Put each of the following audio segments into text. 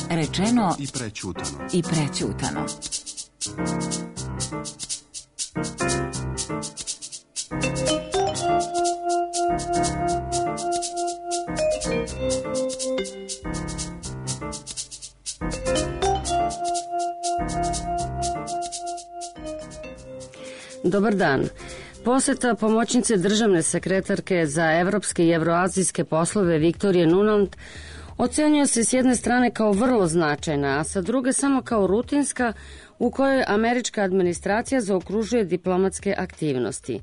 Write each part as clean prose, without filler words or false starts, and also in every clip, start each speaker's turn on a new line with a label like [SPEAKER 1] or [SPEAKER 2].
[SPEAKER 1] Rečeno
[SPEAKER 2] i prećutano.
[SPEAKER 3] Dobar dan. Poseta pomoćnice državne sekretarke za evropske i evroazijske poslove Viktorije Nuland ocenjuje se s jedne strane kao vrlo značajna, a sa druge samo kao rutinska u kojoj američka administracija zaokružuje diplomatske aktivnosti.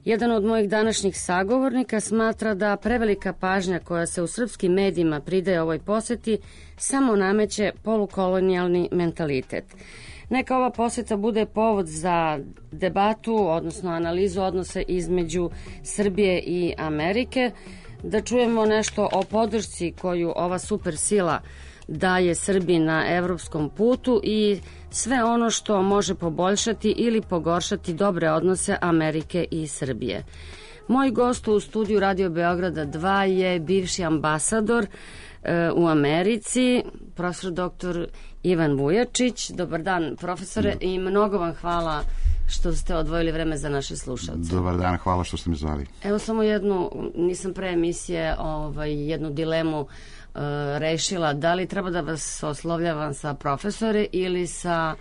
[SPEAKER 3] Jedan od mojih današnjih sagovornika smatra da prevelika pažnja koja se u srpskim medijima pridaje ovoj poseti samo nameće polukolonijalni mentalitet. Neka ova poseta bude povod za debatu, odnosno analizu odnosa između Srbije i Amerike, da čujemo nešto o podršci koju ova supersila daje Srbiji na evropskom putu i sve ono što može poboljšati ili pogoršati dobre odnose Amerike i Srbije. Moj gost u studiju Radio Beograda 2 je bivši ambasador u Americi, profesor dr. Ivan Vujačić. Dobar dan, profesore, i mnogo vam hvala što ste odvojili vreme za naše slušalce.
[SPEAKER 4] Dobar dan, hvala što ste mi zvali.
[SPEAKER 3] Evo samo jednu, nisam pre emisije jednu dilemu rešila, da li treba da vas oslovljavam sa profesore ili sa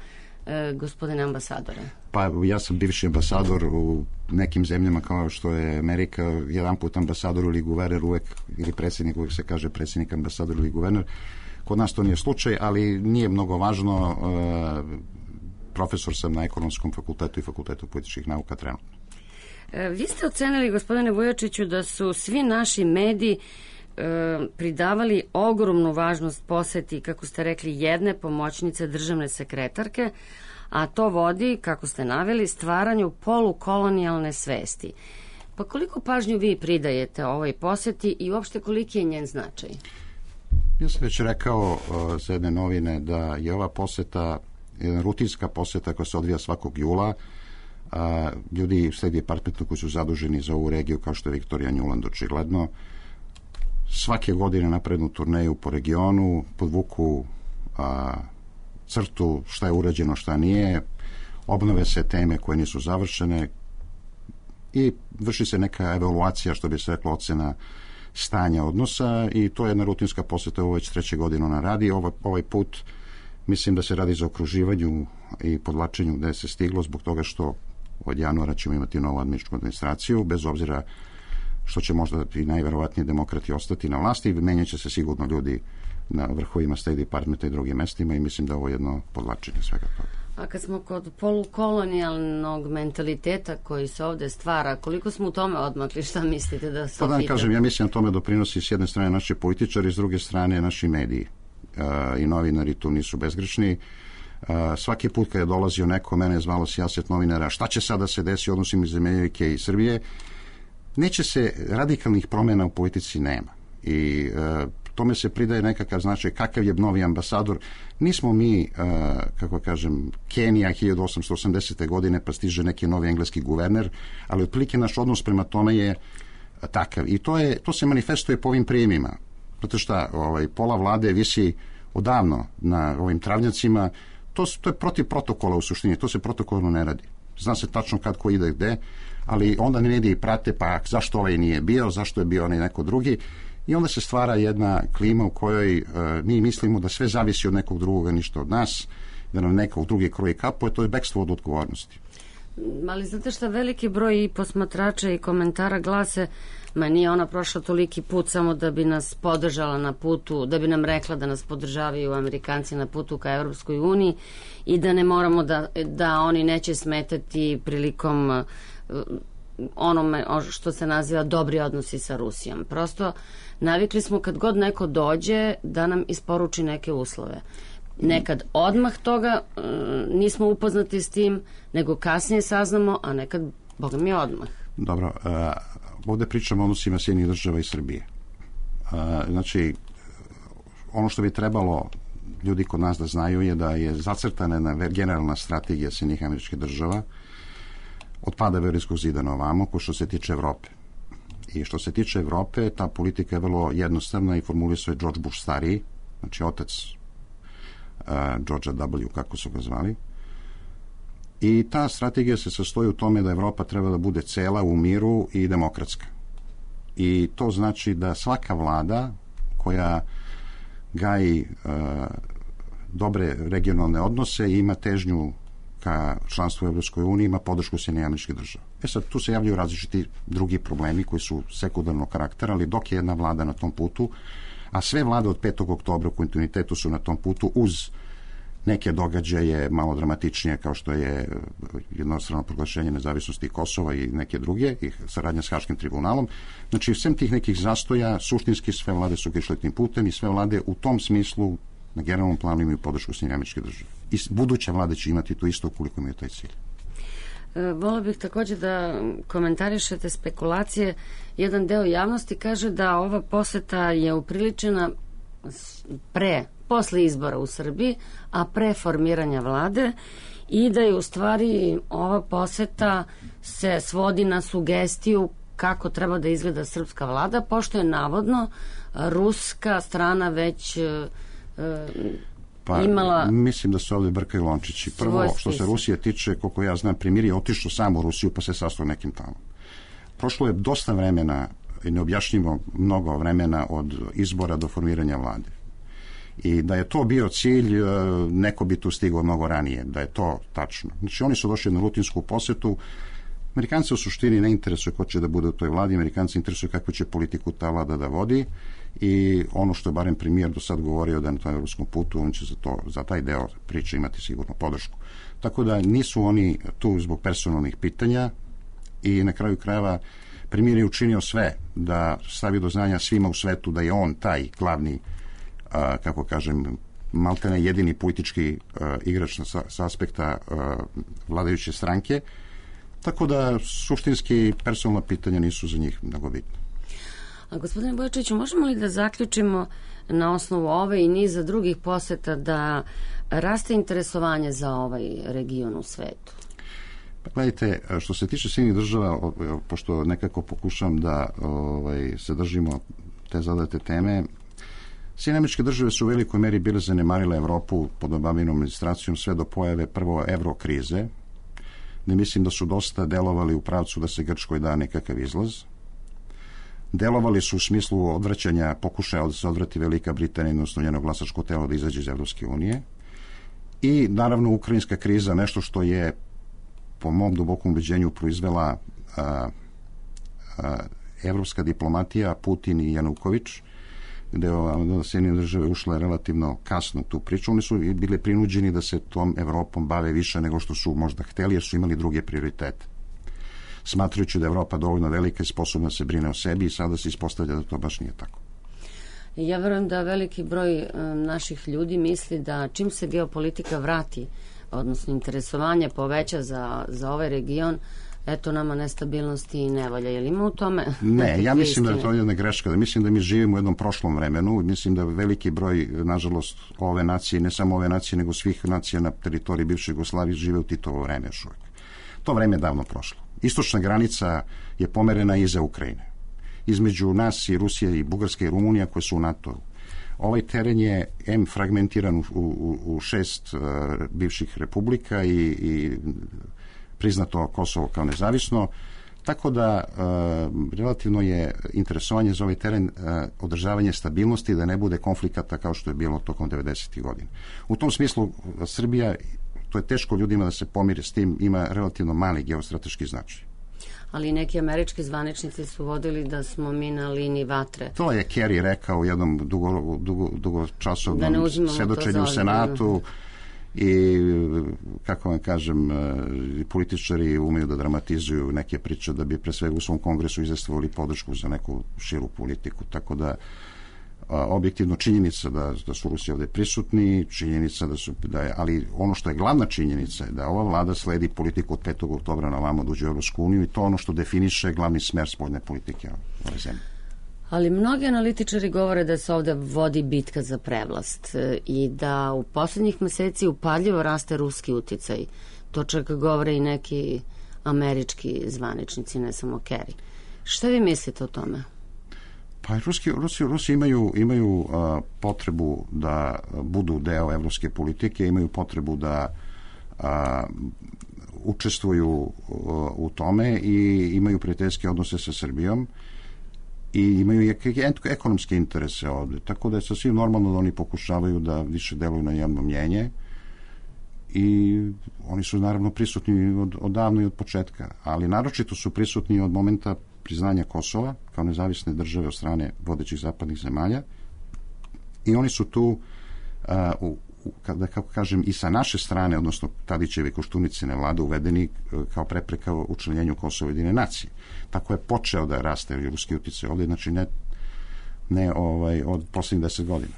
[SPEAKER 3] gospodine ambasadore?
[SPEAKER 4] Pa ja sam bivši ambasador u nekim zemljama kao što je Amerika, jedan put ambasador ili guverner uvek, ili predsjednik, uvek se kaže predsjednik, ambasador ili guverner. Kod nas to nije slučaj, ali nije mnogo važno. Profesor sam na Ekonomskom fakultetu i Fakultetu političkih nauka trenutno.
[SPEAKER 3] Vi ste ocenili, gospodine Vujačiću, da su svi naši mediji pridavali ogromnu važnost poseti, kako ste rekli, jedne pomoćnice državne sekretarke, a to vodi, kako ste naveli, stvaranju polukolonijalne svesti. Pa koliko pažnju vi pridajete ovoj poseti i uopšte koliki je njen značaj?
[SPEAKER 4] Ja sam već rekao za jedne novine da je ova poseta jedna rutinska poseta koja se odvija svakog jula. Ljudi u State Departmentu koji su zaduženi za ovu regiju, kao što je Viktorija Nuland očigledno, svake godine naprednu turneju po regionu, podvuku crtu šta je urađeno, šta nije, obnove se teme koje nisu završene i vrši se neka evaluacija, što bi se reklo, ocena stanja odnosa, i to je jedna rutinska poseta, ovo već 3. godinu ona radi. Ovaj put mislim da se radi za okruživanju i podvlačenju gde se stiglo, zbog toga što od januara ćemo imati novu američku administraciju, bez obzira što će možda i najverovatnije demokrati ostati na vlasti, menjaće se sigurno ljudi na vrhovima State Departmenta i drugim mestima, i mislim da ovo je jedno podvlačenje svega toga.
[SPEAKER 3] A kad smo kod polukolonijalnog mentaliteta koji se ovde stvara, koliko smo u tome odmakli, šta mislite da se
[SPEAKER 4] opita? Kažem, ja mislim da tome doprinosi s jedne strane naši političari, s druge strane naši mediji. I novinari tu nisu bezgrešni. Svaki put kad je dolazio neko, mene je zvalo sijaset novinara, šta će sada se desi u odnosima iz Amerike i Srbije? Neće se, radikalnih promjena u politici nema. I tome se pridaje nekakav značaj, kakav je novi ambasador. Nismo mi, kako kažem, Kenija 1880. godine, pa stiže neki novi engleski guverner, ali otprilike naš odnos prema tome je takav. I to se manifestuje po ovim prijemima. Zato šta, pola vlade visi odavno na ovim travnjacima. To je protiv protokola u suštini, to se protokolno ne radi. Zna se tačno kad ko ide gde, ali onda mediji prate, pa zašto ovaj nije bio, zašto je bio onaj neko drugi, i onda se stvara jedna klima u kojoj mi mislimo da sve zavisi od nekog drugoga, ništa od nas, da nam nekog drugi kroji kapu, to je bekstvo od odgovornosti.
[SPEAKER 3] Ali znate šta, veliki broj i posmatrača i komentara glase, ma nije ona prošla toliki put samo da bi nas podržala na putu, da bi nam rekla da nas podržavaju Amerikanci na putu ka Evropskoj uniji i da ne moramo da oni neće smetati prilikom onome što se naziva dobri odnosi sa Rusijom. Prosto navikli smo kad god neko dođe da nam isporuči neke uslove. Nekad odmah toga nismo upoznati s tim, nego kasnije saznamo, a nekad, boga mi, odmah.
[SPEAKER 4] Dobro, ovde pričamo o odnosima Sjedinjenih država i Srbije. Znači, ono što bi trebalo ljudi kod nas da znaju je da je zacrtana jedna generalna strategija Sjedinjenih Američkih Država od pada Berlinskog zida na ovamo, ko što se tiče Evrope. I što se tiče Evrope, ta politika je vrlo jednostavna i formulisao je George Bush stariji, znači otac Georgea W, kako su ga zvali. I ta strategija se sastoji u tome da Evropa treba da bude cela u miru i demokratska. I to znači da svaka vlada koja gaji dobre regionalne odnose i ima težnju ka članstvu u Evropskoj uniji, ima podršku Sjedinjenih Američkih Država. Sad, tu se javljaju različiti drugi problemi koji su sekundarnog karaktera, ali dok je jedna vlada na tom putu, a sve vlade od 5. oktobra u kontinuitetu su na tom putu uz neke događaje malo dramatičnije kao što je jednostrano proglašenje nezavisnosti Kosova i neke druge, i saradnja s Haškim tribunalom. Znači, svem tih nekih zastoja, suštinski sve vlade su išle tim putem i sve vlade u tom smislu na generalnom planu imaju podršku Sjedinjenih Američkih Država. I buduće vlade će imati to isto ukoliko imaju taj cilj.
[SPEAKER 3] Volio bih također da komentarišete spekulacije. Jedan deo javnosti kaže da ova poseta je upriličena posle izbora u Srbiji, a pre formiranja vlade, i da je u stvari ova poseta se svodi na sugestiju kako treba da izgleda srpska vlada, pošto je navodno ruska strana već imala...
[SPEAKER 4] Mislim da se ovdje brkaju lončići. Prvo, što se Rusije tiče, koliko ja znam, premijer je otišao sam u Rusiju pa se sastao nekim tamo. Prošlo je dosta vremena i neobjašnjivo mnogo vremena od izbora do formiranja vlade. I da je to bio cilj, neko bi tu stigao mnogo ranije, da je to tačno. Znači, oni su došli na rutinsku posetu. Amerikanci u suštini ne interesuje ko će da bude u toj vladi, Amerikanci interesuje kakvu će politiku ta vlada da vodi, i ono što je barem premijer do sad govorio da je na tom evropskom putu, on će za taj deo priče imati sigurno podršku. Tako da nisu oni tu zbog personalnih pitanja, i na kraju krajeva premijer je učinio sve da stavi do znanja svima u svetu da je on taj glavni, kako kažem, maltene jedini politički igrač sa aspekta vladajuće stranke, tako da suštinski personalna pitanja nisu za njih mnogo bitna.
[SPEAKER 3] A gospodine Bojačiću, možemo li da zaključimo na osnovu ove i niza drugih poseta da raste interesovanje za ovaj region u svetu?
[SPEAKER 4] Pa gledajte, što se tiče Sjedinjenih Država, pošto nekako pokušam da se držimo te zadate teme, Sjedinjene Američke Države su u velikoj meri bile zanemarile Evropu pod Obaminom administracijom sve do pojave prvo evrokrize, gde mislim da su dosta delovali u pravcu da se Grčkoj da nekakav izlaz. Delovali su u smislu odvraćanja, pokušaja da se odvrati Velika Britanija, odnosno njeno glasačko telo da izađe iz Evropske unije. I naravno ukrajinska kriza, nešto što je po mom dubokom ubeđenju proizvela evropska diplomatija, Putin i Januković, gde Sjedinjene Države ušle relativno kasno tu priču. Oni su bili prinuđeni da se tom Evropom bave više nego što su možda hteli, jer su imali druge prioritete. Smatrajući da je Evropa dovoljno velika i sposobna se brine o sebi, i sada se ispostavlja da to baš nije tako.
[SPEAKER 3] Ja verujem da veliki broj naših ljudi misli da čim se geopolitika vrati, odnosno interesovanje poveća za ovaj region, eto nama nestabilnosti i nevolja. Je li ima u tome?
[SPEAKER 4] Ne, ja mislim da je to jedna greška. Mislim da mi živimo u jednom prošlom vremenu. Mislim da veliki broj, nažalost, ove nacije, ne samo ove nacije, nego svih nacija na teritoriji bivše Jugoslavije žive u Titovo vreme još uvijek. To vreme je davno prošlo. Istočna granica je pomerena iza Ukrajine. Između nas i Rusije i Bugarske i Rumunija koje su u NATO. Ovaj teren je fragmentiran u 6 bivših republika i priznato Kosovo kao nezavisno, tako da relativno je interesovanje za ovaj teren održavanje stabilnosti, da ne bude konflikata kao što je bilo tokom 90. godina. U tom smislu Srbija, to je teško ljudima da se pomire s tim, ima relativno mali geostrateški značaj.
[SPEAKER 3] Ali neki američki zvaničnici su vodili da smo mi na liniji vatre.
[SPEAKER 4] To je Kerry rekao u jednom dugočasovnom svedočenju u Senatu, i kako vam kažem, političari umeju da dramatizuju neke priče da bi pre svega u svom kongresu izjasnili podršku za neku širu politiku, tako da objektivno činjenica da su Rusi ovdje prisutni, činjenica ali ono što je glavna činjenica je da ova vlada sledi politiku od 5. oktobra na ovamo da uđe u Evropsku uniju, i to ono što definiše glavni smer spoljne politike ove zemlje.
[SPEAKER 3] Ali mnogi analitičari govore da se ovdje vodi bitka za prevlast i da u posljednjih meseci upadljivo raste ruski uticaj. To čak govore i neki američki zvaničnici, ne samo Kerry. Šta vi mislite o tome?
[SPEAKER 4] Pa Rusi imaju potrebu da budu deo evropske politike, imaju potrebu da učestvuju u tome i imaju prijateljske odnose sa Srbijom i imaju i ekonomske interese ovde. Tako da je sasvim normalno da oni pokušavaju da više deluju na javno mnjenje i oni su naravno prisutni odavno i od početka, ali naročito su prisutni od momenta priznanja Kosova kao nezavisne države od strane vodećih zapadnih zemalja i oni su tu kako kažem i sa naše strane, odnosno Tadićeve Koštunicine vlade uvedeni kao prepreka u učlanjenju Kosova jedine nacije. Tako je počeo da raste ruski uticaj ovdje, znači ne od poslednjih 10 godina.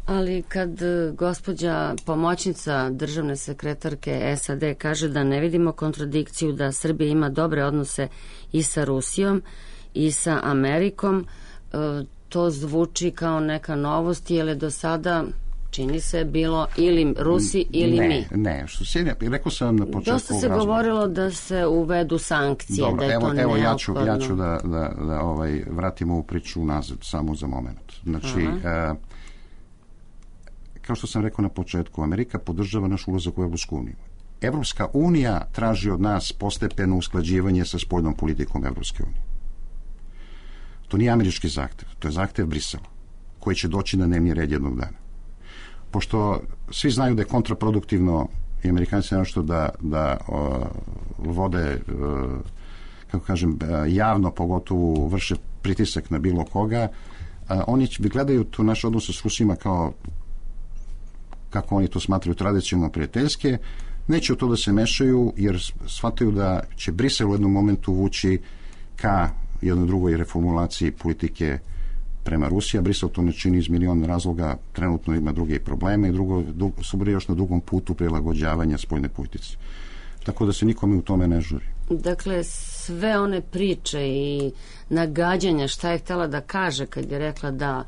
[SPEAKER 3] Ali kad gospođa pomoćnica državne sekretarke SAD kaže da ne vidimo kontradikciju da Srbija ima dobre odnose i sa Rusijom i sa Amerikom, to zvuči kao neka novost, jer je do sada čini se bilo ili Rusi ili mi.
[SPEAKER 4] Ne, rekao sam na početku.
[SPEAKER 3] Dosta se govorilo da se uvedu sankcije.
[SPEAKER 4] Dobro,
[SPEAKER 3] da je to neophodno.
[SPEAKER 4] ja ću da vratim ovu priču nazad samo za moment. Znači, kao što sam rekao na početku, Amerika podržava naš ulazak u Evropsku uniju. Evropska unija traži od nas postepeno usklađivanje sa spoljnom politikom Evropske unije. To nije američki zahtev, to je zahtev Brisela, koji će doći na dnevni red jednog dana. Pošto svi znaju da je kontraproduktivno i Amerikanci nešto da vode, kako kažem, javno, pogotovo vrše pritisak na bilo koga, oni gledaju tu naše odnose s Rusima kao, kako oni to smatraju, tradicionalno prijateljske, neće u to da se mešaju jer shvataju da će Brisel u jednom momentu vući ka jednoj drugoj reformulaciji politike prema Rusiji, a Brisel to ne čini iz milion razloga, trenutno ima druge probleme i su još na dugom putu prilagođavanja spoljne politici. Tako da se nikome u tome ne žuri.
[SPEAKER 3] Dakle, sve one priče i nagađanja šta je htjela da kaže kad je rekla da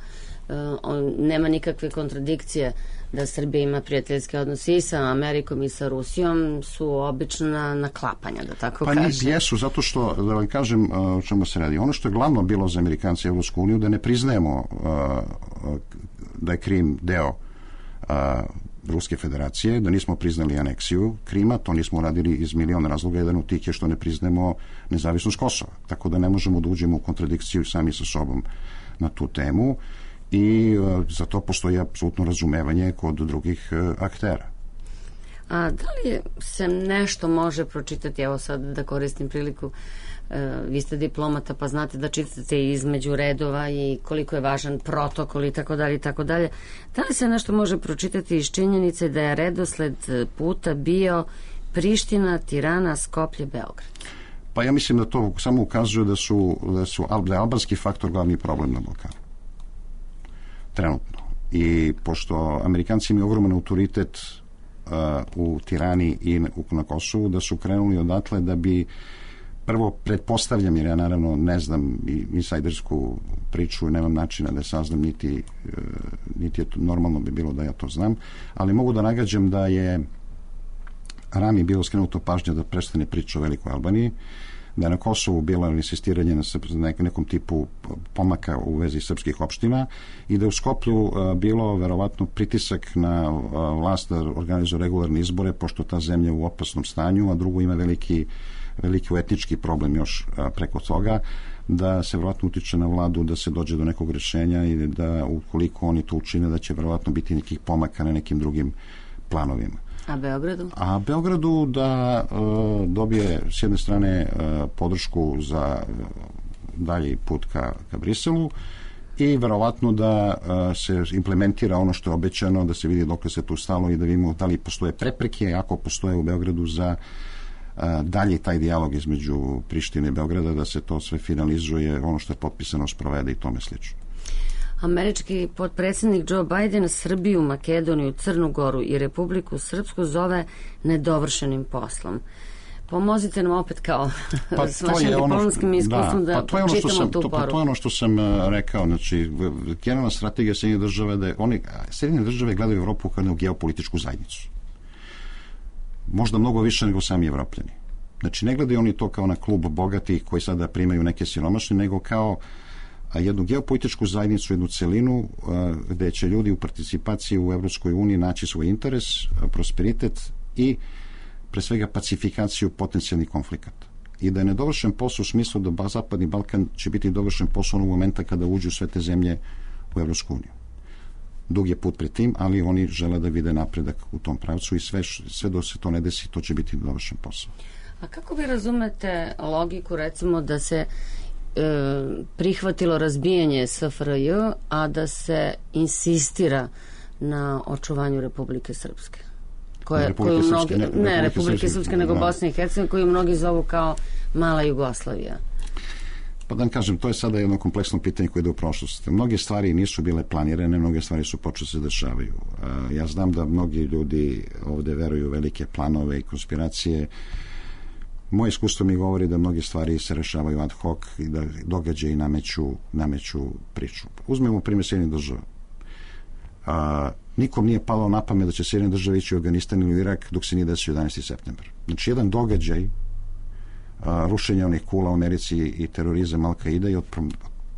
[SPEAKER 3] nema nikakve kontradikcije da Srbija ima prijateljske odnose i sa Amerikom i sa Rusijom su obična naklapanja, da tako kažem.
[SPEAKER 4] Pa jesu, zato što, da vam kažem o čemu se radi. Ono što je glavno bilo za Amerikanci i Evropsku uniju, da ne priznajemo da je Krim deo Ruske federacije, da nismo priznali aneksiju Krima, to nismo uradili iz milion razloga, jedan od tih je što ne priznajemo nezavisnost Kosova. Tako da ne možemo da uđemo u kontradikciju sami sa sobom na tu temu i za to postoji apsolutno razumevanje kod drugih aktera.
[SPEAKER 3] A da li se nešto može pročitati, evo sad da koristim priliku, vi ste diplomata pa znate da čitate između redova i koliko je važan protokol i tako dalje i tako dalje. Da li se nešto može pročitati iz činjenice da je redosled puta bio Priština, Tirana, Skoplje, Beograd?
[SPEAKER 4] Pa ja mislim da to samo ukazuje da je albanski faktor glavni problem na Balkanu. Trenutno. I pošto Amerikanci imaju ogroman autoritet u Tirani i na Kosovu, da su krenuli odatle da bi prvo pretpostavljam, jer ja naravno ne znam insajdersku priču i nemam načina da je saznam, niti je to, normalno bi bilo da ja to znam, ali mogu da nagađam da je Rami bilo skrenuto pažnja da prestane priča o Velikoj Albaniji, da je na Kosovu bilo insistiranje na nekom tipu pomaka u vezi srpskih opština i da je u Skoplju bilo verovatno pritisak na vlast da organizuje regularne izbore, pošto ta zemlja u opasnom stanju, a drugo ima veliki etnički problem još preko toga, da se verovatno utiče na vladu da se dođe do nekog rešenja i da ukoliko oni to učine da će verovatno biti nekih pomaka na nekim drugim planovima.
[SPEAKER 3] A Beogradu?
[SPEAKER 4] A Beogradu da dobije s jedne strane podršku za dalji put ka Briselu i verovatno da se implementira ono što je obećano, da se vidi dokle se tu stalo i da vidimo da li postoje prepreke, ako postoje u Beogradu za dalje taj dijalog između Prištine i Beograda, da se to sve finalizuje, ono što je potpisano sprovede i tome slično.
[SPEAKER 3] Američki potpredsjednik Joe Biden Srbiju, Makedoniju, Crnu Goru i Republiku Srpsku zove nedovršenim poslom. Pomozite nam opet kao s vašim diplomskim iskustvom da čitamo tu poruku.
[SPEAKER 4] To je ono što sam rekao. Znači, generalna strategija Sjedinjenih država da Sjedinjene države gledaju Evropu kao jednu geopolitičku zajednicu. Možda mnogo više nego sami Evropljani. Znači, ne gledaju oni to kao na klub bogatih koji sada primaju neke siromašne, nego kao jednu geopolitičku zajednicu, jednu celinu gde će ljudi u participaciji u Evropskoj uniji naći svoj interes, prosperitet i pre svega pacifikaciju potencijalnih konflikata. I da je nedovršen posao u smislu da Zapadni Balkan će biti dovršen posao onog momenta kada uđu sve te zemlje u Evropsku uniju. Dug je put pred tim, ali oni žele da vide napredak u tom pravcu i sve dok se to ne desi, to će biti dovršen posao.
[SPEAKER 3] A kako vi razumete logiku, recimo, da se prihvatilo razbijanje SFRJ, a da se insistira na očuvanju Republike Srpske? Republike Srpske, nego Bosne i Hercegovine, koju mnogi zovu kao mala Jugoslavija.
[SPEAKER 4] Pa da vam kažem, to je sada jedno kompleksno pitanje koje ide u prošlost. Mnoge stvari nisu bile planirane, mnoge stvari su počele se dešavaju. Ja znam da mnogi ljudi ovde veruju u velike planove i konspiracije. Moje iskustvo mi govori da mnoge stvari se rešavaju ad hoc i da događaji nameću priču. Uzmemo primjer Sjedinjenih država. Nikom nije palo na pamet da će Sjedinjene države ići u Afganistan ili u Irak dok se nije desio 11. septembar. Znači, jedan događaj rušenja onih kula u Americi i terorizam Al-Qaida je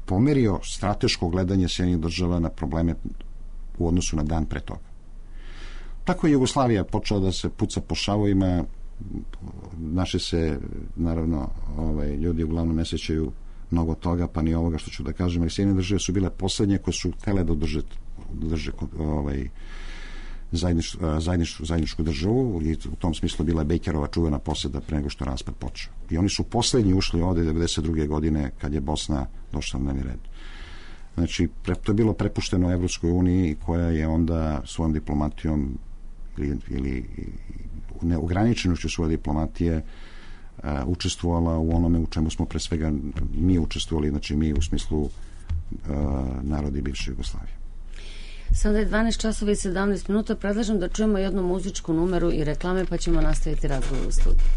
[SPEAKER 4] pomerio strateško gledanje Sjedinjenih država na probleme u odnosu na dan pre toga. Tako je Jugoslavija počela da se puca po šavovima. Naši se, naravno, ljudi uglavnom ne sećaju mnogo toga, pa ni ovoga što ću da kažem, ali Sjedinjene države su bile poslednje koje su htele da drže zajedničku državu i u tom smislu bila Bejkerova čuvena poseda pre nego što raspad počeo. I oni su poslednji ušli ovde 92. godine kad je Bosna došla na dnevni red. Znači, to je bilo prepušteno Evropskoj uniji koja je onda svojom diplomatijom ili neograničenošću svoje diplomatije učestvovala u onome u čemu smo pre svega mi učestvovali, znači mi u smislu narodi bivše Jugoslavije.
[SPEAKER 3] Sada je 12 časova i 17 minuta. Predlažem da čujemo jednu muzičku numeru i reklame, pa ćemo nastaviti razgovor u studiju.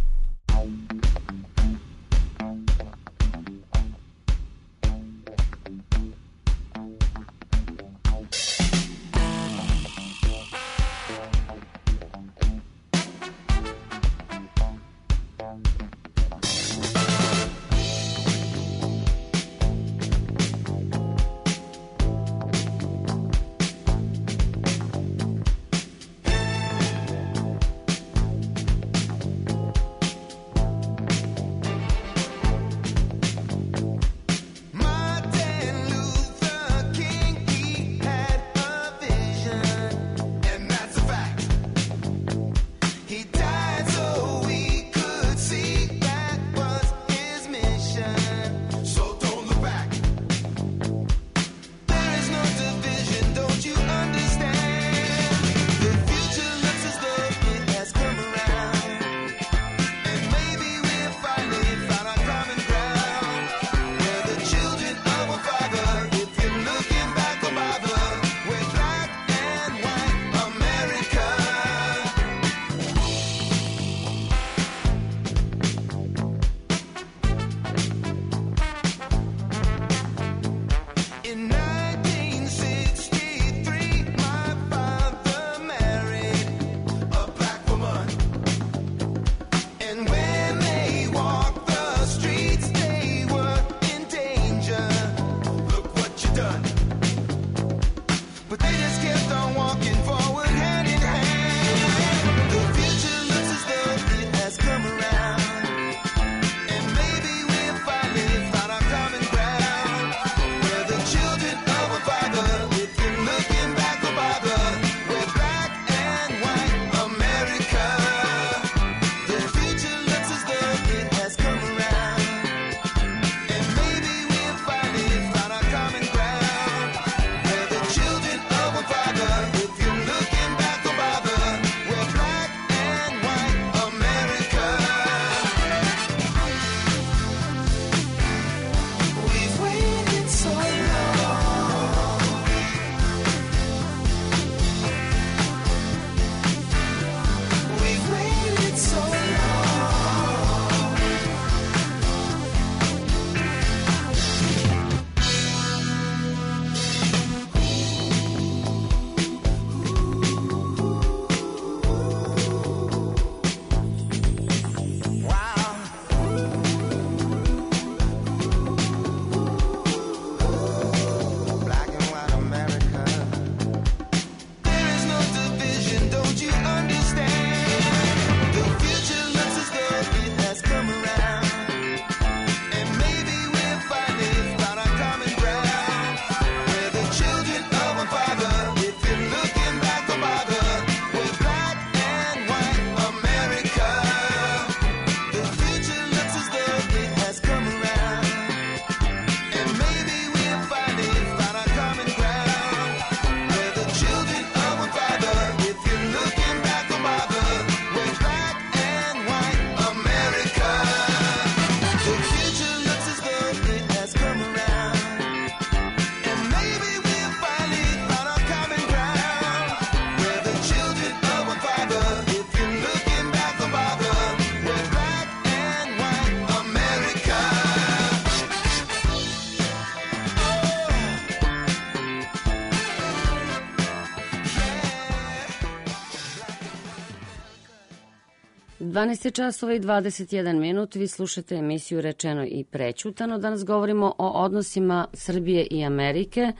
[SPEAKER 3] 12 časova i 21 minut. Vi slušate emisiju Rečeno i prećutano. Danas govorimo o odnosima Srbije i Amerike.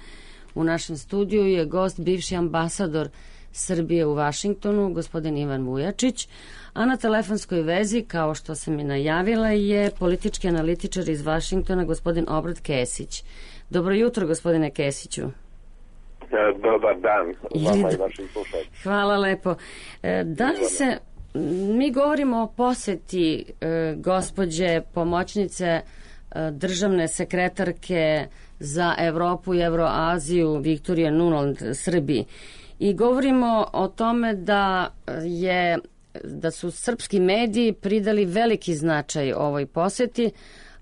[SPEAKER 3] U našem studiju je gost bivši ambasador Srbije u Vašingtonu, gospodin Ivan Vujačić, a na telefonskoj vezi, kao što sam i najavila, je politički analitičar iz Vašingtona, gospodin Obrat Kesić. Dobro jutro, gospodine Kesiću.
[SPEAKER 1] Dobar dan vama i vašim slušateljima.
[SPEAKER 3] Hvala lepo. Da li se... Mi govorimo o poseti gospođe pomoćnice državne sekretarke za Evropu i Evroaziju Viktorije Nuland Srbiji. I govorimo o tome da su srpski mediji pridali veliki značaj ovoj poseti,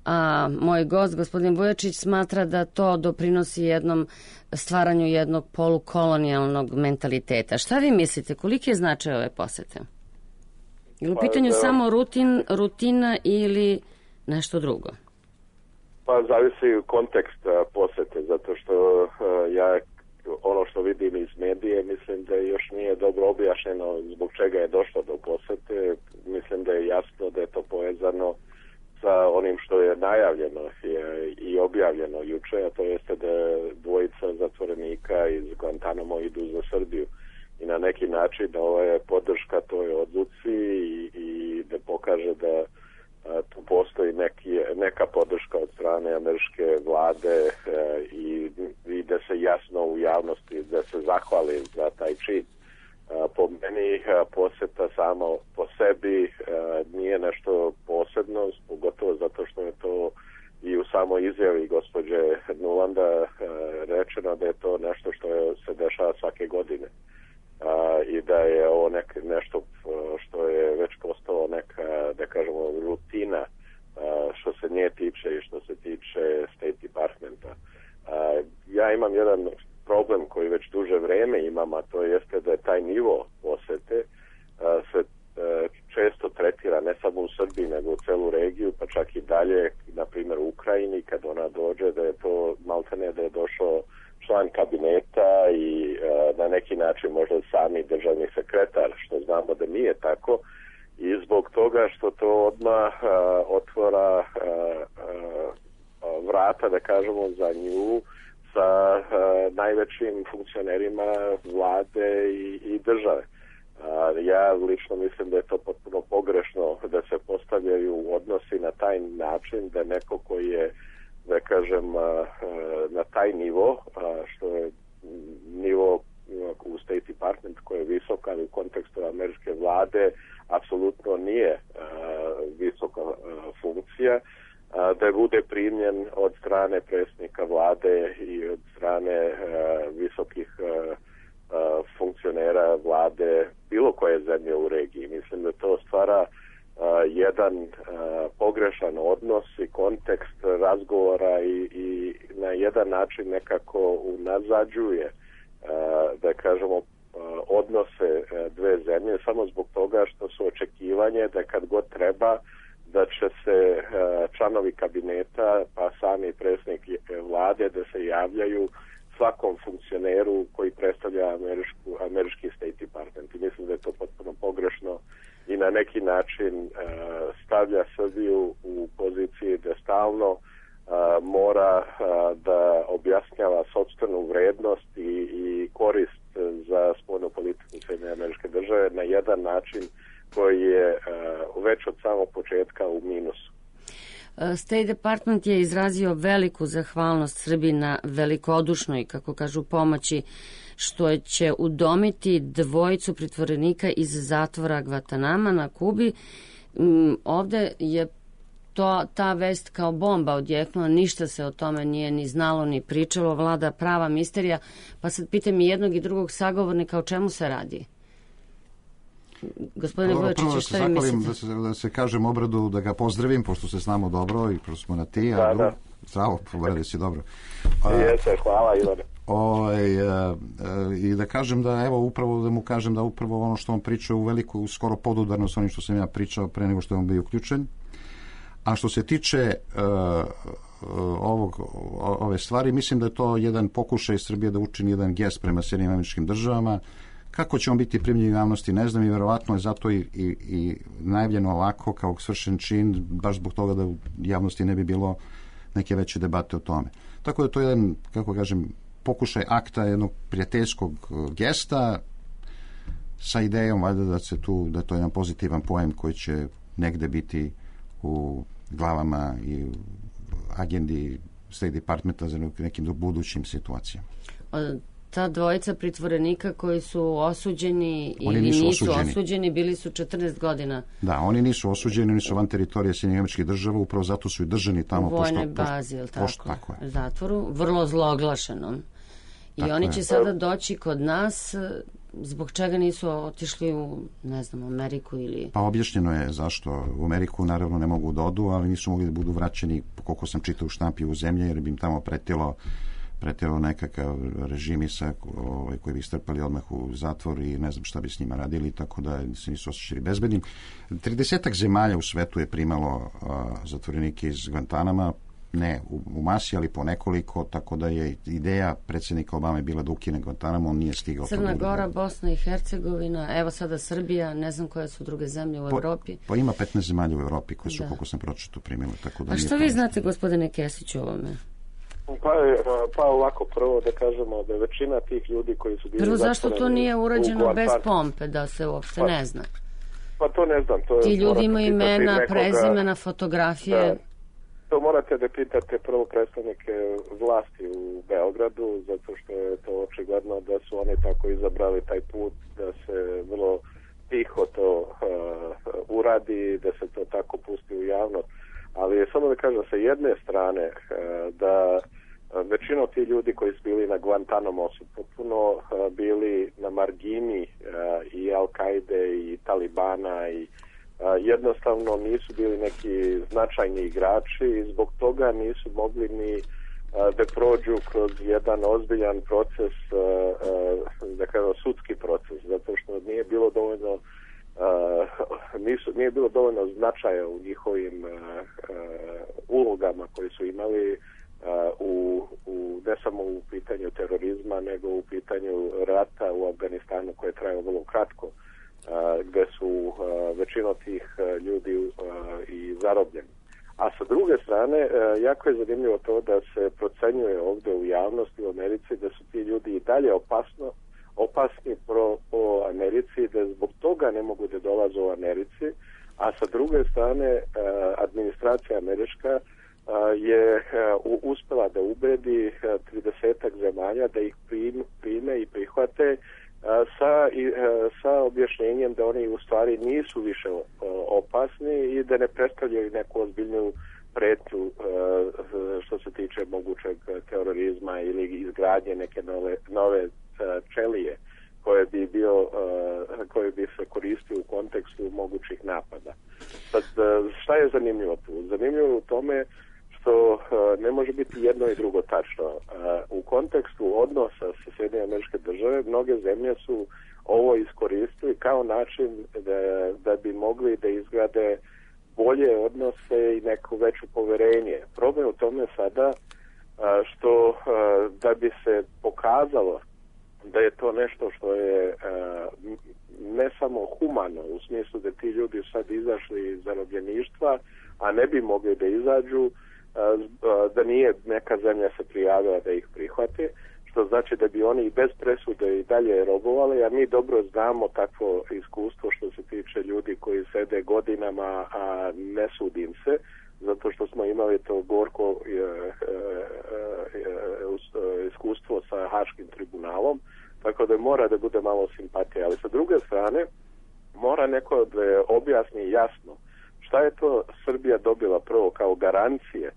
[SPEAKER 3] a moj gost, gospodin Vujačić, smatra da to doprinosi stvaranju jednog polukolonijalnog mentaliteta. Šta vi mislite, koliki je značaj ove posete? Je u pitanju samo rutina ili nešto drugo?
[SPEAKER 1] Pa zavisi kontekst posete, zato što ja ono što vidim iz medije, mislim da još nije dobro objašnjeno zbog čega je došlo do posete. Mislim da je jasno da je to povezano sa onim što je najavljeno i objavljeno juče, a to jeste da dvojica zatvorenika iz Guantanamo idu za Srbiju. I na neki način ova je podrška toj odluci i da pokaže da tu postoji neka podrška od strane američke vlade i da se jasno u javnosti da se zahvali za taj čin. Po meni poseta samo po sebi nije nešto posebno, pogotovo zato što je to i u samoj izjavi gospođe Nulanda rečeno da je to nešto što se dešava svake godine. I da je ovo nešto što je već postalo neka, da kažemo, rutina što se nje tiče i što se tiče State Departmenta. Ja imam jedan problem koji već duže vreme imam, a to jeste da je taj nivo posete se često tretira ne samo u Srbiji nego u celu regiju, pa čak i dalje, na primjer u Ukrajini, kad ona dođe, da je to maltene da je došao član kabineta i na neki način možda sami državni sekretar, što znamo da nije tako, i zbog toga što to odmah otvora vrata, da kažemo, za nju sa najvećim funkcionerima vlade i države. Ja lično mislim da je to potpuno pogrešno da se postavljaju odnosi na taj način da neko koji je, da kažem, na taj nivo, što je nivo u State Department koji je visok, ali u kontekstu američke vlade apsolutno nije visoka funkcija, da bude primljen od strane predsjednika vlade i od strane visokih funkcionera vlade bilo koje zemlje u regiji. Mislim da to stvara jedan pogrešan odnos i kontekst razgovora i na jedan način nekako unazađuje, da kažemo, odnose dve zemlje samo zbog toga što su očekivanje da kad god treba da će se članovi kabineta pa sami predsjednik vlade da se javljaju svakom funkcioneru koji predstavlja američki State Department. I mislim da je to potpuno pogrešno i na neki način stavlja Srbiju u poziciji da stalno mora da objasnjava sopstvenu vrednost i korist za spoljnu politiku Sjedinjenih Američke Države na jedan način koji je već od samog početka u minusu.
[SPEAKER 3] State Department je izrazio veliku zahvalnost Srbiji na velikodušnoj, kako kažu, pomoći što će udomiti dvojicu pritvorenika iz zatvora Guantanama na Kubi. Ovde je ta vest kao bomba odjeknula, ništa se o tome nije ni znalo ni pričalo, vlada prava misterija, pa sad pitam i jednog i drugog sagovornika o čemu se radi. Gospodine Vujačiću, šta vi mislite?
[SPEAKER 4] Da se kažem Obradu, da ga pozdravim, pošto se znamo dobro i pošto smo na ti. Da. Zdravo, Obrade si dobro.
[SPEAKER 1] Jeste, hvala Ivane.
[SPEAKER 4] I da kažem da, evo, upravo da mu kažem da upravo ono što on priča u veliku, skoro podudarno s onim što sam ja pričao pre nego što je on bio uključen. A što se tiče ove stvari, mislim da je to jedan pokušaj Srbije da učini jedan gest prema Sjedinjenim Američkim Državama, Kako će on biti primljen u javnosti, ne znam, i verovatno je zato i najavljeno ovako kao svršen čin, baš zbog toga da u javnosti ne bi bilo neke veće debate o tome. Tako da to je jedan, kako kažem, pokušaj akta jednog prijateljskog gesta sa idejom valjda da je to jedan pozitivan pojem koji će negde biti u glavama i u agendi State Departmenta za nekim budućim situacijama.
[SPEAKER 3] Ta dvojica pritvorenika koji su osuđeni ili nisu osuđeni, bili su 14 godina.
[SPEAKER 4] Da, oni nisu osuđeni, oni su van teritorije Sjedinjenih Američkih Država, upravo zato su i držani tamo.
[SPEAKER 3] U vojnoj bazi, ili
[SPEAKER 4] tako je.
[SPEAKER 3] Zatvoru, vrlo zloglašenom. I tako oni će sada doći kod nas, zbog čega nisu otišli u, ne znam, Ameriku ili...
[SPEAKER 4] Pa objašnjeno je zašto. U Ameriku naravno ne mogu da odu, ali nisu mogli da budu vraćeni, koliko sam čitao u štampi, u zemlje, jer bi im tamo pretilo nekakav režimisa koji bi strpali odmah u zatvor i ne znam šta bi s njima radili, tako da se nisu osjećali bezbednim. 30 zemalja u svetu je primalo zatvorenike iz Guantanama, ne u masi, ali po nekoliko, tako da je ideja predsjednika Obame bila da ukine Guantanamo, on nije stigao.
[SPEAKER 3] Crna Gora, Bosna i Hercegovina, evo sada Srbija, ne znam koje su druge zemlje u Evropi.
[SPEAKER 4] Pa ima 15 zemalja u Evropi koje su, koliko sam pročitao, primilo. Tako da
[SPEAKER 3] a što vi znate, gospodine Kesiću, o ovome?
[SPEAKER 1] Pa ovako, prvo da kažemo da je većina tih ljudi koji su bili...
[SPEAKER 3] Prvo, zašto to nije urađeno bez pompe, da se uopšte ne zna?
[SPEAKER 1] Pa to ne znam.
[SPEAKER 3] Ti ljudi imaju imena, prezimena, fotografije...
[SPEAKER 1] Da. To morate da pitate prvo predstavnike vlasti u Beogradu, zato što je to očigledno da su oni tako izabrali taj put, da se vrlo tiho to uradi, da se to tako pusti u javnost. Ali samo da kažem, sa jedne strane, da većina ti ljudi koji su bili na Guantanamo su potpuno bili na margini i Al-Kaide i Talibana i jednostavno nisu bili neki značajni igrači i zbog toga nisu mogli ni da prođu kroz jedan ozbiljan proces, da kažem sudski proces, zato što nije bilo dovoljno nije bilo dovoljno značaja u njihovim ulogama koji su imali ne samo u pitanju terorizma, nego u pitanju rata u Afganistanu koje je trajalo vrlo kratko, gde su većina tih ljudi i zarobljeni. A sa druge strane, jako je zanimljivo to da se procenjuje ovdje u javnosti u Americi da su ti ljudi i dalje opasni po Americi, da zbog toga ne mogu da dolaze u Americi, a sa druge strane administracija američka je uspela da ubedi 30 zemalja da ih prime i prihvate sa objašnjenjem da oni u stvari nisu više opasni i da ne predstavljaju neku ozbiljnu pretnju što se tiče mogućeg terorizma ili izgradnje neke nove čelije koje bi se koristio u kontekstu mogućih napada. Sad, šta je zanimljivo tu? Zanimljivo je u tome što ne može biti jedno i drugo tačno. U kontekstu odnosa sa Sjedinjenim Američke Države mnoge zemlje su ovo iskoristili kao način da bi mogli da izgrade bolje odnose i neko veće poverenje. Problem u tome sada što da bi se pokazalo da je to nešto što je ne samo humano, u smislu da ti ljudi sad izašli iz zarobljeništva, a ne bi mogli da izađu, da nije neka zemlja se prijavila da ih prihvate, što znači da bi oni i bez presude i dalje robovali, a mi dobro znamo takvo iskustvo što se tiče ljudi koji sede godinama, a ne sudim se, zato što smo imali to gorko iskustvo sa Haškim tribunalom, tako da mora da bude malo simpatije. Ali sa druge strane, mora neko da objasni jasno šta je to Srbija dobila prvo kao garancije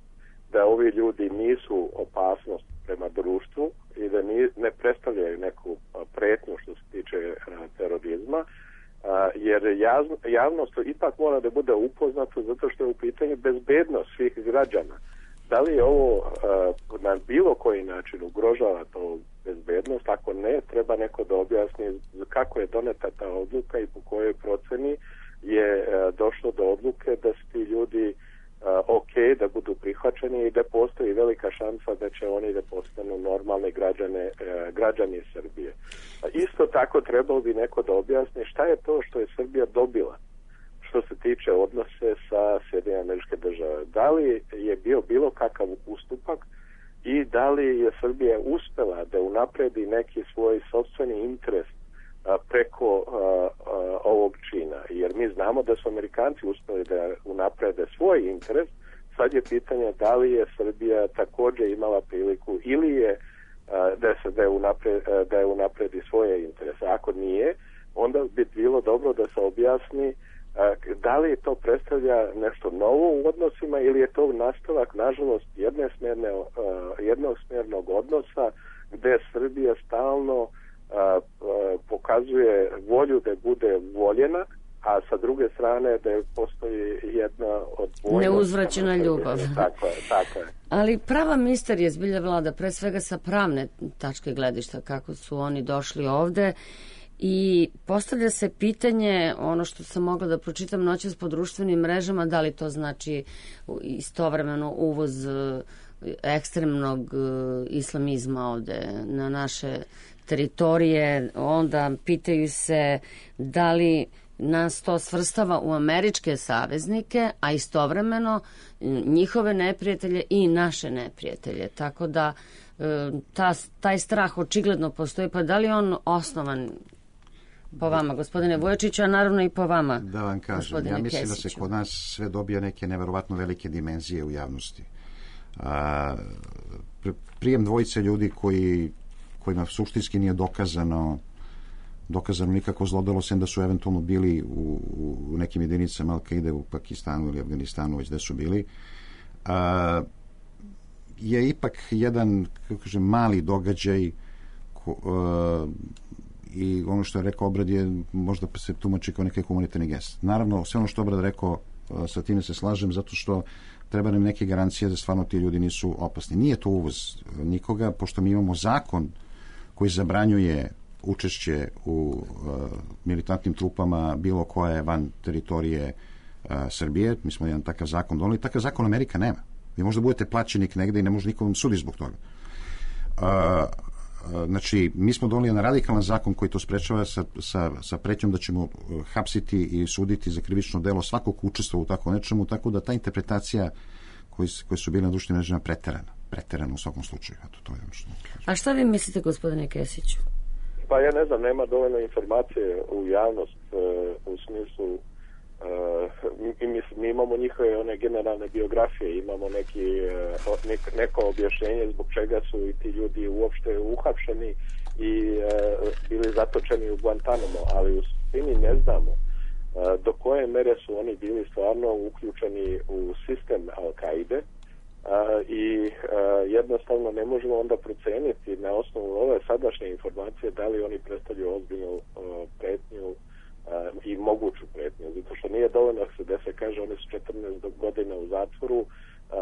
[SPEAKER 1] da ovi ljudi nisu opasnost prema društvu i da ne predstavljaju neku pretnju što se tiče terorizma, jer javnost ipak mora da bude upoznato zato što je u pitanju bezbednost svih građana. Da li je ovo na bilo koji način ugrožava to bezbednost? Ako ne, treba neko da objasni kako je doneta ta odluka i po kojoj proceni je došlo do odluke da su ti ljudi ok da budu prihvaćeni i da postoji velika šansa da će oni da postanu normalni građani Srbije. Isto tako trebalo bi neko da objasni šta je to što je Srbija dobila što se tiče odnose sa Sjedinjenim Američke Države. Da li je bio bilo kakav ustupak i da li je Srbija uspela da unapredi neki svoj sopstveni interes preko ovog čina. Jer mi znamo da su Amerikanci uspeli da unaprede svoj interes. Sad je pitanje da li je Srbija također imala priliku ili je da je unapredi svoje interese. Ako nije, onda bi bilo dobro da se objasni da li to predstavlja nešto novo u odnosima ili je to nastavak, nažalost, jednosmjernog odnosa gdje Srbija stalno pokazuje volju da bude voljena, a sa druge strane da postoji jedna odbojnost.
[SPEAKER 3] Neuzvraćena ljubav.
[SPEAKER 1] Tako je.
[SPEAKER 3] Ali prava misterija zbilja vlada, pre svega sa pravne tačke gledišta, kako su oni došli ovde. I postavlja se pitanje, ono što sam mogla da pročitam noćas po društvenim mrežama, da li to znači istovremeno uvoz ekstremnog islamizma ovde na naše teritorije, onda pitaju se da li nas to svrstava u američke saveznike, a istovremeno njihove neprijatelje i naše neprijatelje. Tako da taj strah očigledno postoji, pa da li on osnovan po vama, gospodine Vujačiću, a naravno i po vama,
[SPEAKER 4] da vam kažem, ja mislim Kesiću. Da se kod nas sve dobija neke neverovatno velike dimenzije u javnosti. Prijem dvojice ljudi kojima suštinski nije dokazano nikako zlodelo, sem da su eventualno bili u nekim jedinicama Al-Kaide u Pakistanu ili Afganistanu, već da su bili, je ipak jedan, kako kažem, mali događaj i ono što je rekao Obrad je možda se tumači kao neki humanitarni gest. Naravno, sve ono što Obrad rekao, sa time se slažem, zato što treba nam neke garancije da stvarno ti ljudi nisu opasni. Nije to uvoz nikoga, pošto mi imamo zakon koji zabranjuje učešće u militantnim trupama bilo koje van teritorije Srbije. Mi smo jedan takav zakon doneli. Takav zakon Amerika nema. Vi možda budete plaćenik negde i ne može nikom sudi zbog toga. Znači, mi smo doneli jedan radikalan zakon koji to sprečava sa pretnjom da ćemo hapsiti i suditi za krivično delo svakog učestvova u tako nečemu, tako da ta interpretacija koje su bile na društvenim mrežama preterana u svakom slučaju. Eto, to je ono što...
[SPEAKER 3] A šta vi mislite, gospodine Kesiću?
[SPEAKER 1] Pa ja ne znam, nema dovoljno informacije u javnost u smislu mi imamo njihove one generalne biografije, imamo neko objašnjenje zbog čega su i ti ljudi uopšte uhapšeni i bili zatočeni u Guantanamo, ali u suštini ne znamo do koje mere su oni bili stvarno uključeni u sistem Al-Kaide i jednostavno ne možemo onda proceniti na osnovu ove sadašnje informacije da li oni predstavljaju ozbiljnu pretnju i moguću pretnju, zato što nije dovoljno da se kaže oni su 14 godina u zatvoru,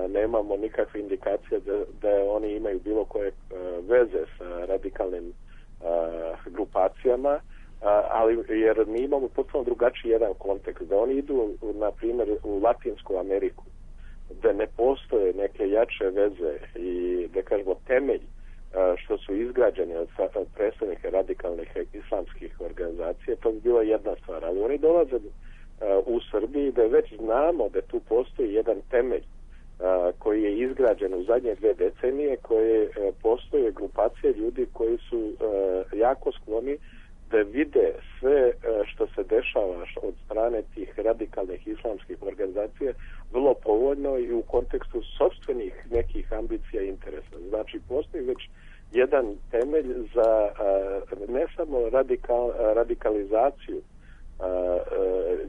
[SPEAKER 1] nemamo nikakve indikacije da oni imaju bilo koje veze sa radikalnim grupacijama, ali jer mi imamo potpuno drugačiji jedan kontekst, da oni idu na primjer u Latinsku Ameriku, da ne postoje neke jače veze i da kažemo temelj što su izgrađeni od predstavnika radikalnih islamskih organizacija, to bi bila jedna stvar, ali oni dolaze u Srbiji da već znamo da tu postoji jedan temelj koji je izgrađen u zadnje 2 decenije, koje postoje grupacije ljudi koji su jako skloni da vide sve što se dešava od strane tih radikalnih islamskih organizacija vrlo povoljno i u kontekstu sopstvenih nekih ambicija i interesa. Znači, postoji već jedan temelj za ne samo radikalizaciju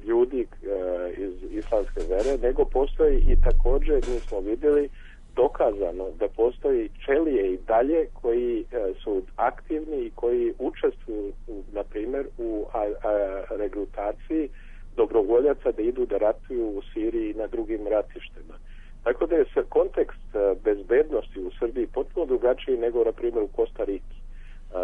[SPEAKER 1] ljudi iz islamske vere, nego postoji i također, mi smo vidjeli, dokazano da postoji čelije i dalje koji su aktivni i koji učestvuju, na primjer, u regrutaciji dobrovoljaca da idu da ratuju u Siriji i na drugim ratištima. Tako da je kontekst bezbednosti u Srbiji potpuno drugačiji nego, na primjer, u Kostariki.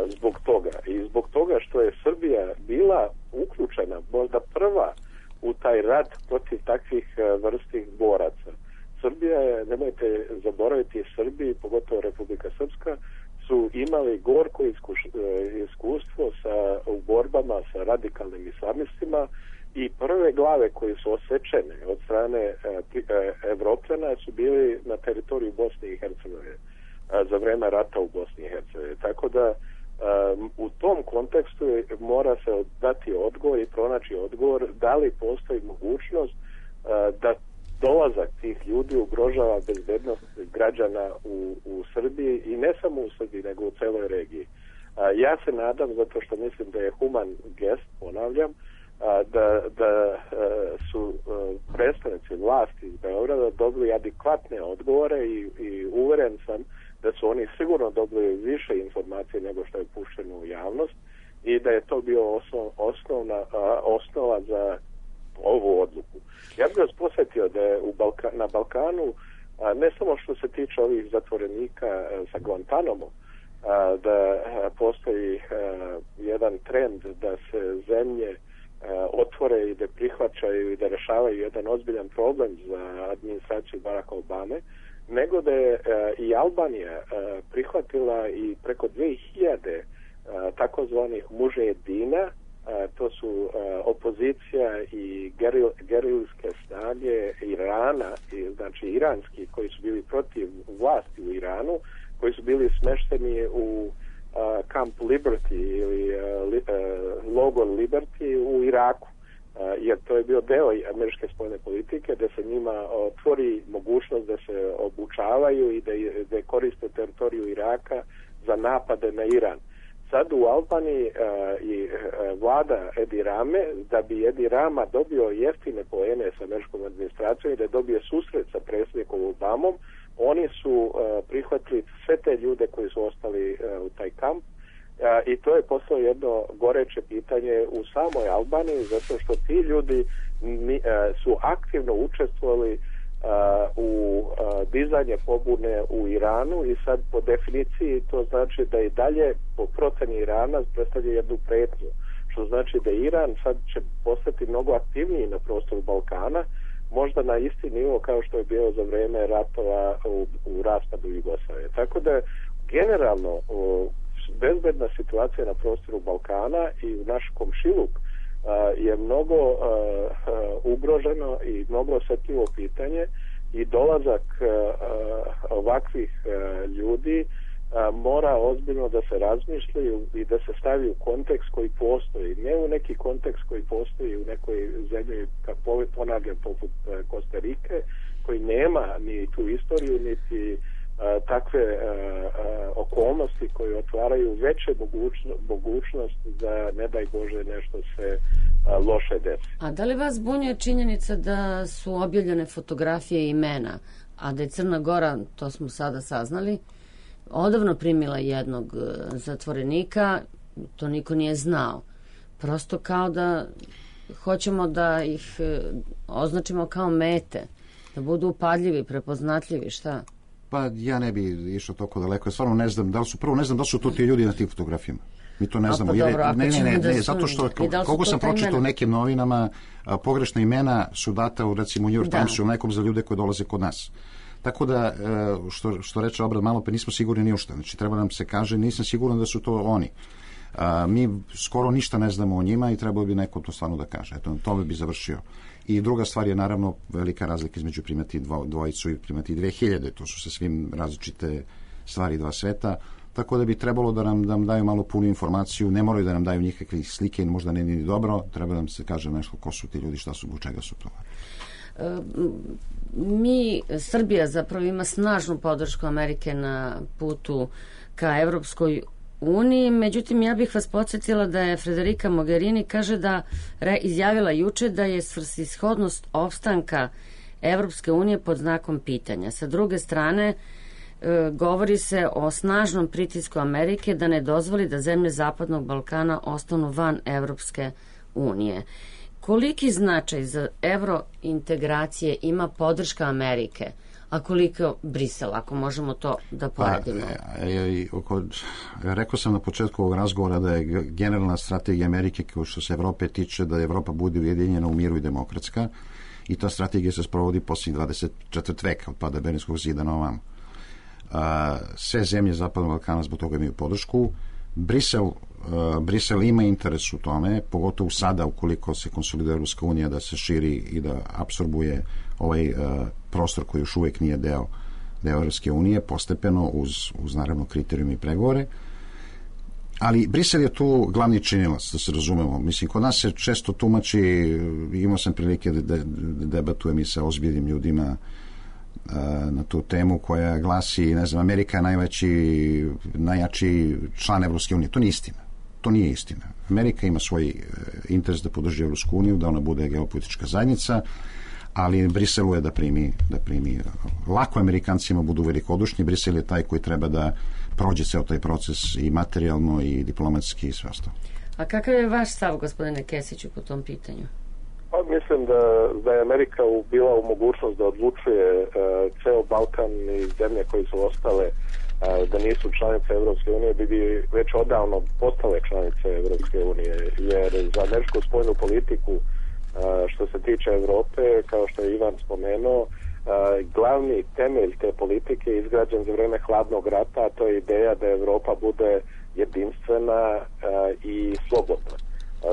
[SPEAKER 1] Zbog toga. I zbog toga što je Srbija bila uključena, možda prva, u taj rat protiv takvih vrstih boraca. Srbija je, nemojte zaboraviti, Srbiji, pogotovo Republika Srpska, su imali gorko iskustvo u borbama sa radikalnim islamistima i prve glave koje su osečene od strane Evropljana su bili na teritoriju Bosne i Hercegovine za vreme rata u Bosni i Hercegovini. Tako da u tom kontekstu mora se dati odgovor i pronaći odgovor da li postoji mogućnost da dolazak tih ljudi ugrožava bezbednost građana u Srbiji i ne samo u Srbiji nego u celoj regiji. Ja se nadam, zato što mislim da je human gest, ponavljam, da su predstavnici vlasti iz Beograda dobili adekvatne odgovore i uveren sam da su oni sigurno dobili više informacije nego što je pušteno u javnost i da je to bio osnova za ovu odluku. Ja bih vas posjetio da je na Balkanu, ne samo što se tiče ovih zatvorenika sa Guantanamo, da postoji jedan trend da se zemlje otvore i da prihvaćaju i da rešavaju jedan ozbiljan problem za administraciju Baracka Obame, nego da je i Albanija prihvatila i preko 2000 takozvanih mužedina, to su opozicija i gerilske snage Irana, znači iranski, koji su bili protiv vlasti u Iranu, koji su bili smešteni u Camp Liberty ili logor Liberty u Iraku, jer to je bio deo američke spoljne politike da se njima otvori mogućnost da se obučavaju i da koriste teritoriju Iraka za napade na Iran. Sad u Albaniji i vlada Edi Rame, da bi Edi Rama dobio jeftine poene sa američkom administracijom i da dobije susret sa predsjednikom Obamom, oni su prihvatili sve te ljude koji su ostali u taj kamp i to je postalo jedno goreće pitanje u samoj Albaniji, zato što ti ljudi su aktivno učestvovali u dizanje pobune u Iranu i sad po definiciji to znači da i dalje po proceni Irana predstavlja jednu pretnju, što znači da Iran sad će postati mnogo aktivniji na prostoru Balkana, možda na isti nivo kao što je bio za vreme ratova u raspadu Jugoslavije. Tako da generalno bezbedna situacija na prostoru Balkana i u naš komšiluk je mnogo ugroženo i mnogo osjetljivo pitanje i dolazak ovakvih ljudi mora ozbiljno da se razmišljaju i da se stavi u kontekst koji postoji, ne u neki kontekst koji postoji u nekoj zemlji, kako ponavljam, poput Kostarike, koji nema ni tu istoriju, niti takve okolnosti koje otvaraju veće mogućnost da, ne daj Bože, nešto se loše desi.
[SPEAKER 3] A da li vas zbunjuje činjenica da su objavljene fotografije i imena, a da je Crna Gora, to smo sada saznali, odavno primila jednog zatvorenika, to niko nije znao. Prosto kao da hoćemo da ih označimo kao mete, da budu upadljivi, prepoznatljivi, šta?
[SPEAKER 4] Pa ja ne bi išao toliko daleko. Ja stvarno ne znam da li su, prvo ne znam da li su to ti ljudi na tim fotografijama. Mi to ne znamo. Ne, zato što koliko sam pročitao u nekim novinama, pogrešna imena su data u, recimo, u New York Timesu ili nekom za ljude koji dolaze kod nas. Tako da, što reče Obrad malo, pa nismo sigurni ni ušta. Znači, treba nam se kaže, nisam siguran da su to oni. Mi skoro ništa ne znamo o njima i trebalo bi neko to stvarno da kaže. Eto, tome bi završio. I druga stvar je naravno velika razlika između primati dvojicu i primati 2000. To su sa svim različite stvari dva sveta. Tako da bi trebalo da nam daju malo punu informaciju. Ne moraju da nam daju nikakve slike, možda ne ni dobro. Treba da nam se kaže nešto ko su ti ljudi, šta su, zbog čega su to.
[SPEAKER 3] Srbija zapravo ima snažnu podršku Amerike na putu ka Evropskoj uniji, međutim ja bih vas podsjetila da je Federica Mogherini izjavila juče da je svrsishodnost opstanka Evropske unije pod znakom pitanja. Sa druge strane, govori se o snažnom pritisku Amerike da ne dozvoli da zemlje Zapadnog Balkana ostanu van Evropske unije. Koliki značaj za evrointegracije ima podrška Amerike, a koliko Brisel, ako možemo to da poredimo?
[SPEAKER 4] Rekao sam na početku ovog razgovora da je generalna strategija Amerike, kao što se Evrope tiče, da Evropa bude ujedinjena u miru i demokratska i ta strategija se sprovodi posljednjih 24 veka od pada Berlinskog zida na ovamo. Sve zemlje Zapadnog Balkana zbog toga imaju podršku. Brisel ima interes u tome, pogotovo sada ukoliko se konsoliduje Evropska unija da se širi i da apsorbuje ovaj prostor koji još uvijek nije deo Evropske unije, postepeno uz naravno kriterijum i pregovore. Ali Brisel je tu glavni činilac, da se razumemo. Mislim, kod nas se često tumači, imao sam prilike da debatujem i sa ozbiljnim ljudima na tu temu koja glasi, ne znam, Amerika je najjači član Evropske unije. To nije istina. To nije istina. Amerika ima svoj interes da podrži Evropsku uniju, da ona bude geopolitička zajednica, ali Briselu je da primi. Lako Amerikancima budu velikodušni, Brisel je taj koji treba da prođe ceo taj proces i materijalno i diplomatski i sve ostalo.
[SPEAKER 3] A kakav je vaš stav, gospodine Kesiću, po tom pitanju?
[SPEAKER 1] Pa mislim da je Amerika bila u mogućnost da odlučuje ceo Balkan i zemlje koje su ostale da nisu članice Evropske unije, bi već odavno postale članice Evropske unije, jer za američku spoljnu politiku što se tiče Evrope, kao što je Ivan spomenuo, glavni temelj te politike je izgrađen za vreme hladnog rata, a to je ideja da Evropa bude jedinstvena i slobodna.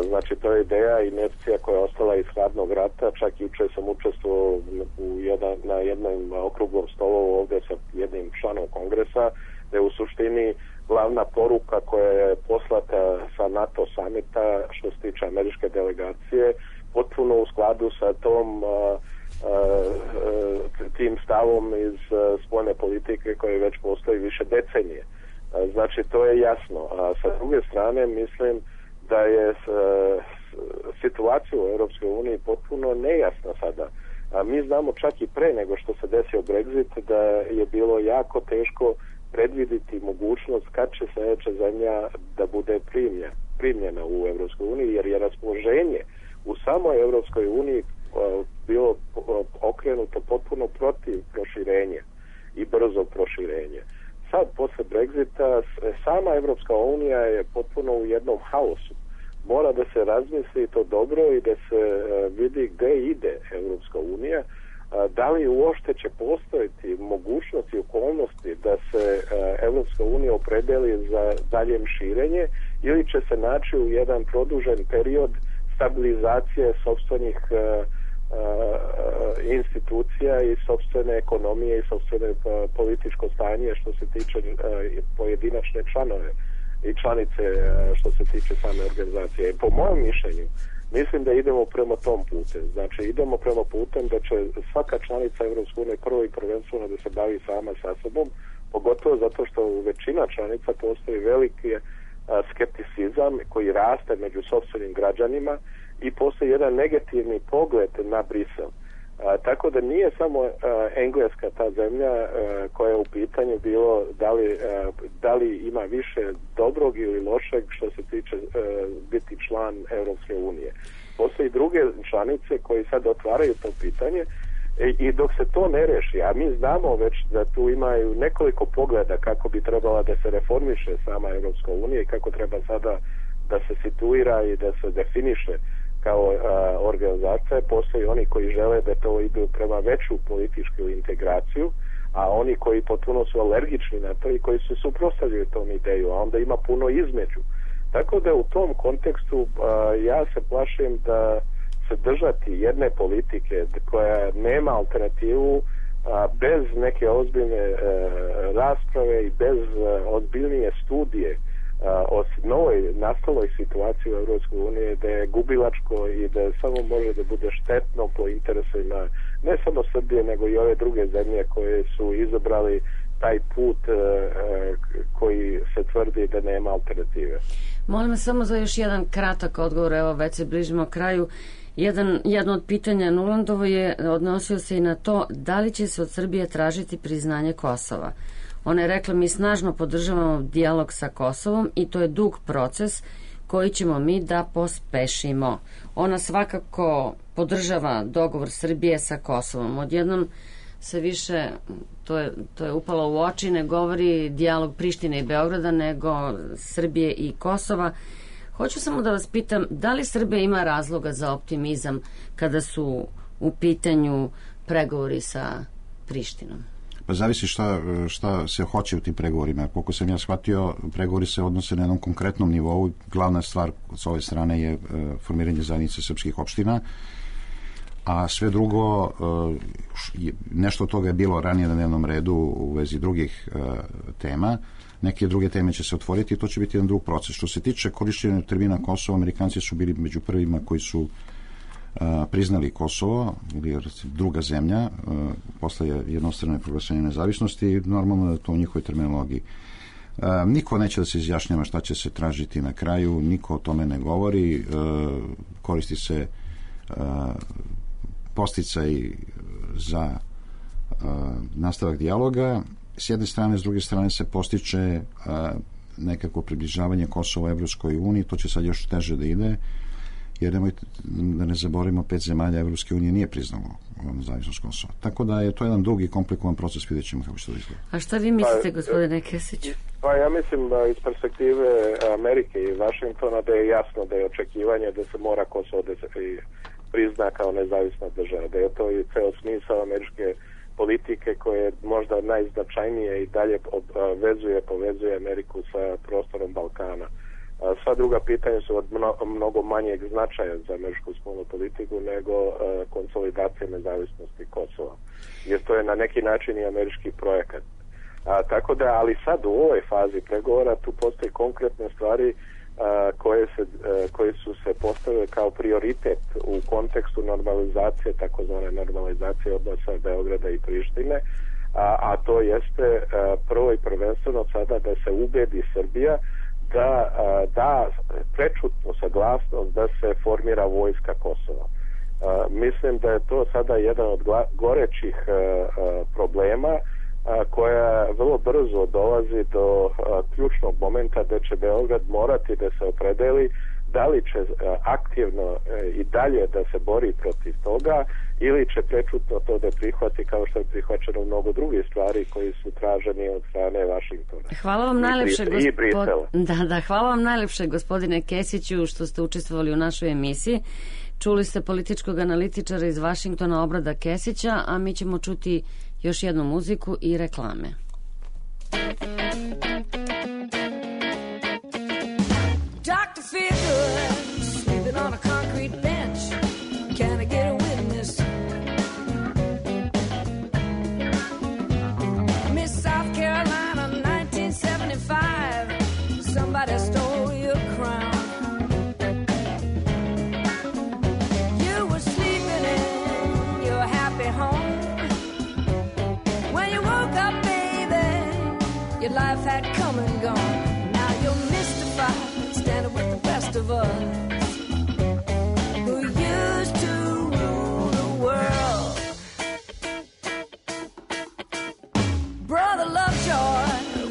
[SPEAKER 1] Znači, to je ideja i inercija koja je ostala iz hladnog rata. Čak juče sam učestvovao na jednom okruglom stolu ovdje sa jednim članom kongresa, da je u suštini glavna poruka koja je poslata sa NATO samita što se tiče američke delegacije potpuno u skladu sa tim stavom iz spoljne politike koje već postoji više decenije. Znači, to je jasno. A sa druge strane, mislim da je situacija u Europskoj uniji potpuno nejasna sada. A mi znamo čak i pre nego što se desio Brexit da je bilo jako teško predviditi mogućnost kad će sljedeća zemlja da bude primljena u Europskoj uniji, jer je raspoloženje u samoj Europskoj uniji bilo okrenuto potpuno protiv proširenja i brzo proširenje. Sad, posle Brexita, sama Evropska unija je potpuno u jednom haosu. Mora da se razmisli to dobro i da se vidi gde ide Evropska unija, da li uopšte će postojiti mogućnosti i okolnosti da se Evropska unija opredeli za daljem širenje ili će se naći u jedan produžen period stabilizacije sopstvenih institucija i sopstvene ekonomije i sopstvene političko stanje što se tiče pojedinačne članove i članice što se tiče same organizacije. Po mojem mišljenju, mislim da idemo prema tom putem. Znači, idemo prema putem da će svaka članica Evropske unije prvo i prvenstveno da se bavi sama sa sobom, pogotovo zato što u većina članica postoji veliki skepticizam koji raste među sopstvenim građanima i postoji jedan negativni pogled na Brisel. Tako da nije samo Engleska ta zemlja koja je u pitanju bilo da li ima više dobrog ili lošeg što se tiče biti član Europske unije. Postoji druge članice koji sad otvaraju to pitanje i dok se to ne reši, a mi znamo već da tu imaju nekoliko pogleda kako bi trebala da se reformiše sama Europska unija i kako treba sada da se situira i da se definiše kao organizacija. Postoji oni koji žele da to idu prema veću političku integraciju, a oni koji potpuno su alergični na to i koji se suprotstavljaju tom ideju, a onda ima puno između. Tako da u tom kontekstu ja se plašim da se držati jedne politike koja nema alternativu bez neke ozbiljne rasprave i bez ozbiljnije studije o novoj nastaloj situaciji u Europskoj uniji, da je gubilačko i da samo može da bude štetno po interesima ne samo Srbije, nego i ove druge zemlje koje su izabrali taj put koji se tvrdi da nema alternative.
[SPEAKER 3] Molim vas samo za još jedan kratak odgovor, evo već se bližimo kraju. Jedno od pitanja Nulandovo je odnosio se i na to da li će se od Srbije tražiti priznanje Kosova. Ona je rekla, mi snažno podržavamo dijalog sa Kosovom i to je dug proces koji ćemo mi da pospešimo. Ona svakako podržava dogovor Srbije sa Kosovom. Odjednom se više, to je upalo u oči, ne govori dijalog Prištine i Beograda, nego Srbije i Kosova. Hoću samo da vas pitam, da li Srbija ima razloga za optimizam kada su u pitanju pregovori sa Prištinom?
[SPEAKER 4] Pa zavisi šta se hoće u tim pregovorima. Koliko sam ja shvatio, pregovori se odnose na jednom konkretnom nivou. Glavna stvar s ove strane je formiranje zajednice srpskih opština, a sve drugo, nešto od toga je bilo ranije na dnevnom redu u vezi drugih tema. Neke druge teme će se otvoriti i to će biti jedan drug proces. Što se tiče korišćenja termina Kosovo, Amerikanci su bili među prvima koji su priznali Kosovo, ili druga zemlja, posle jednostrane proglašenja nezavisnosti, normalno da to u njihovoj terminologiji. Niko neće da se izjašnjava šta će se tražiti na kraju, niko o tome ne govori, koristi se podsticaj za nastavak dijaloga. S jedne strane, s druge strane se postiče nekako približavanje Kosova Evropskoj uniji, to će sad još teže da ide, jer da ne zaboravimo, 5 zemalja Evropske unije nije priznalo nezavisnost Kosova. Tako da je to jedan dug i komplikovan proces, vidjet ćemo kako će to izgleda.
[SPEAKER 3] A šta vi mislite, gospodine Kesiću?
[SPEAKER 1] Pa ja mislim da iz perspektive Amerike i Vašingtona da je jasno da je očekivanje da se mora Kosovo da se prizna kao nezavisna država, da je to i ceo smisao američke politike koje je možda najznačajnije i dalje povezuje Ameriku sa prostorom Balkana. Sva druga pitanja su od mnogo manjeg značaja za američku spoljnu politiku nego konsolidacija nezavisnosti Kosova. Jer to je na neki način i američki projekat. Tako da, ali sad u ovoj fazi pregovora tu postoje konkretne stvari koje su se postavile kao prioritet u kontekstu normalizacije, takozvane normalizacije odnosa Beograda i Prištine, a to jeste prvo i prvenstveno sada da se ubedi Srbija da prečutnu saglasnost da se formira vojska Kosova. Mislim da je to sada jedan od gorećih problema koja vrlo brzo dolazi do ključnog momenta da će Beograd morati da se opredeli da li će aktivno i dalje da se bori protiv toga ili će prečutno to da prihvati kao što je prihvaćeno mnogo drugih stvari koji su traženi od strane Vašingtona.
[SPEAKER 3] Hvala vam najlepše, hvala vam najlepše, gospodine Kesiću, što ste učestvovali u našoj emisiji. Čuli ste političkog analitičara iz Vašingtona, Obrada Kesića, a mi ćemo čuti još jednu muziku i reklame. Doctor feel good, sleeping on a concrete bench. Can I get a witness? Miss South Carolina, 1975. Somebody stole your crown. You were sleeping in your happy home. When you woke up, baby, your life had come and gone. Now you're mystified, standing with the rest of us who used to rule the world. Brother Lovejoy,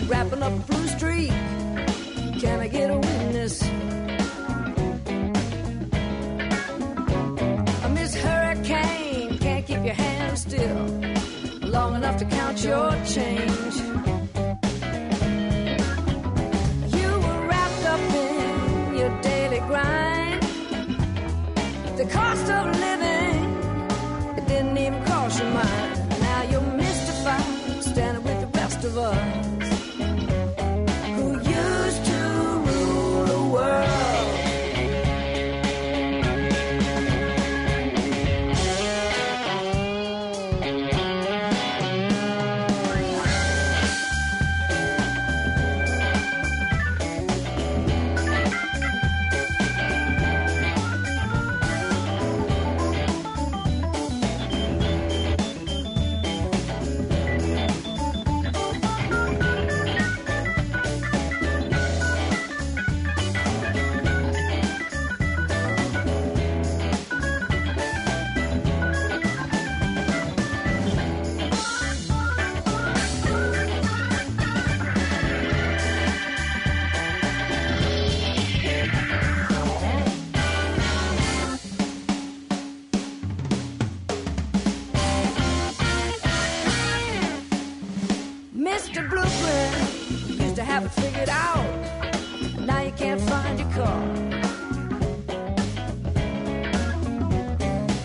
[SPEAKER 3] wrapping up Blue Street. Can I get a witness? Miss Hurricane, can't keep your hands still long enough to count your change. You were wrapped up in your daily grind. The cost of living, it didn't even cross your mind. Now you're mystified, standing with the rest of us who used to rule the world.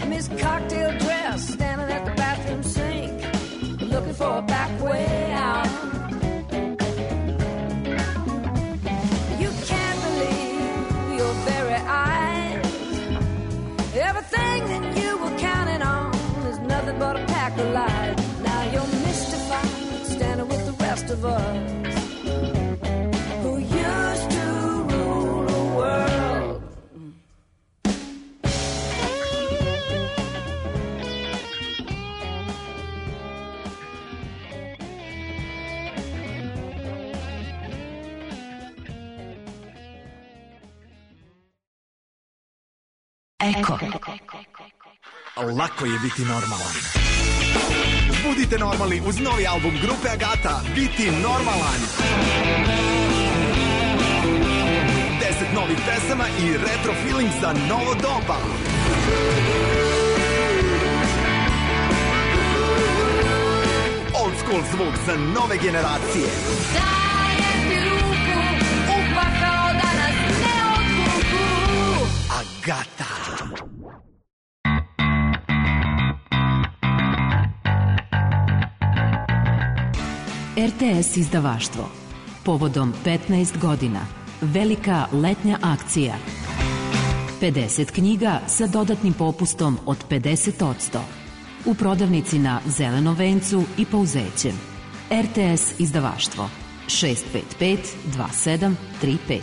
[SPEAKER 3] Miss Cocktail Dress
[SPEAKER 5] for a back way out. You can't believe your very eyes. Everything that you were counting on is nothing but a pack of lies. Now you're mystified, standing with the rest of us who used to rule the world.
[SPEAKER 2] Eko.
[SPEAKER 6] Lako je biti normalan. Budite normalni uz novi album grupe Agata, Biti normalan. 10 novih pesama i retro feeling za novo doba. Old school zvuk za nove generacije.
[SPEAKER 5] Dajem ti ruku, upakao da nas ne odvuku.
[SPEAKER 6] Agata.
[SPEAKER 2] RTS izdavaštvo. Povodom 15 godina. Velika letnja akcija. 50 knjiga sa dodatnim popustom od 50%. U prodavnici na Zelenom vencu i Pouzećem. RTS izdavaštvo. 655 2735.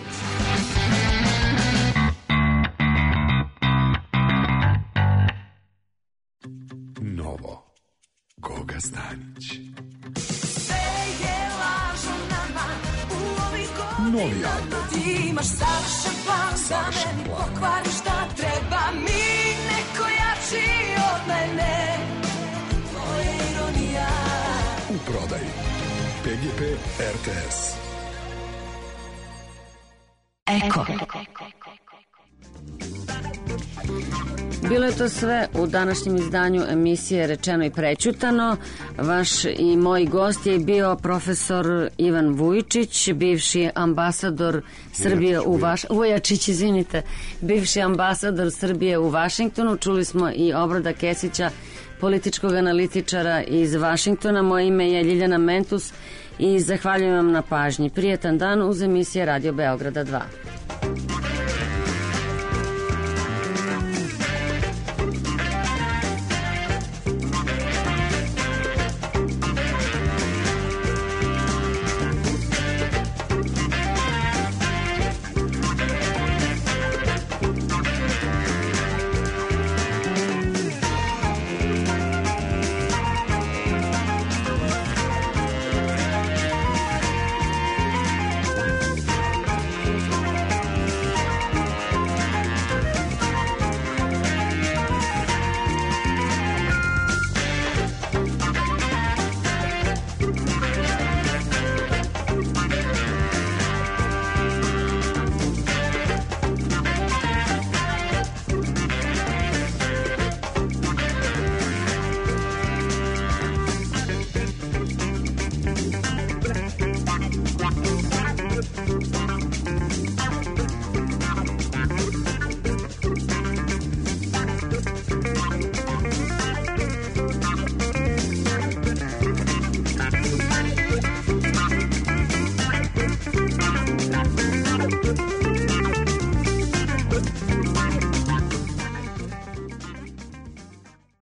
[SPEAKER 6] Novo. Goga Stanić. Novi album.
[SPEAKER 5] Ti imaš savršen plan da meni pokvari šta treba mi, neko jači od mene. To je ironija.
[SPEAKER 6] U prodaji. PGP RTS.
[SPEAKER 2] Eko.
[SPEAKER 3] Bilo je to sve u današnjem izdanju emisije Rečeno i prećutano. Vaš i moj gost je bio profesor Ivan Vujičić, bivši ambasador Srbije Vujačić, izvinite, bivši ambasador Srbije u Vašingtonu. Čuli smo i Obrada Kesića, političkog analitičara iz Vašingtona. Moje ime je Ljiljana Mentus i zahvaljujem vam na pažnji. Prijetan dan uz emisije Radio Beograda 2.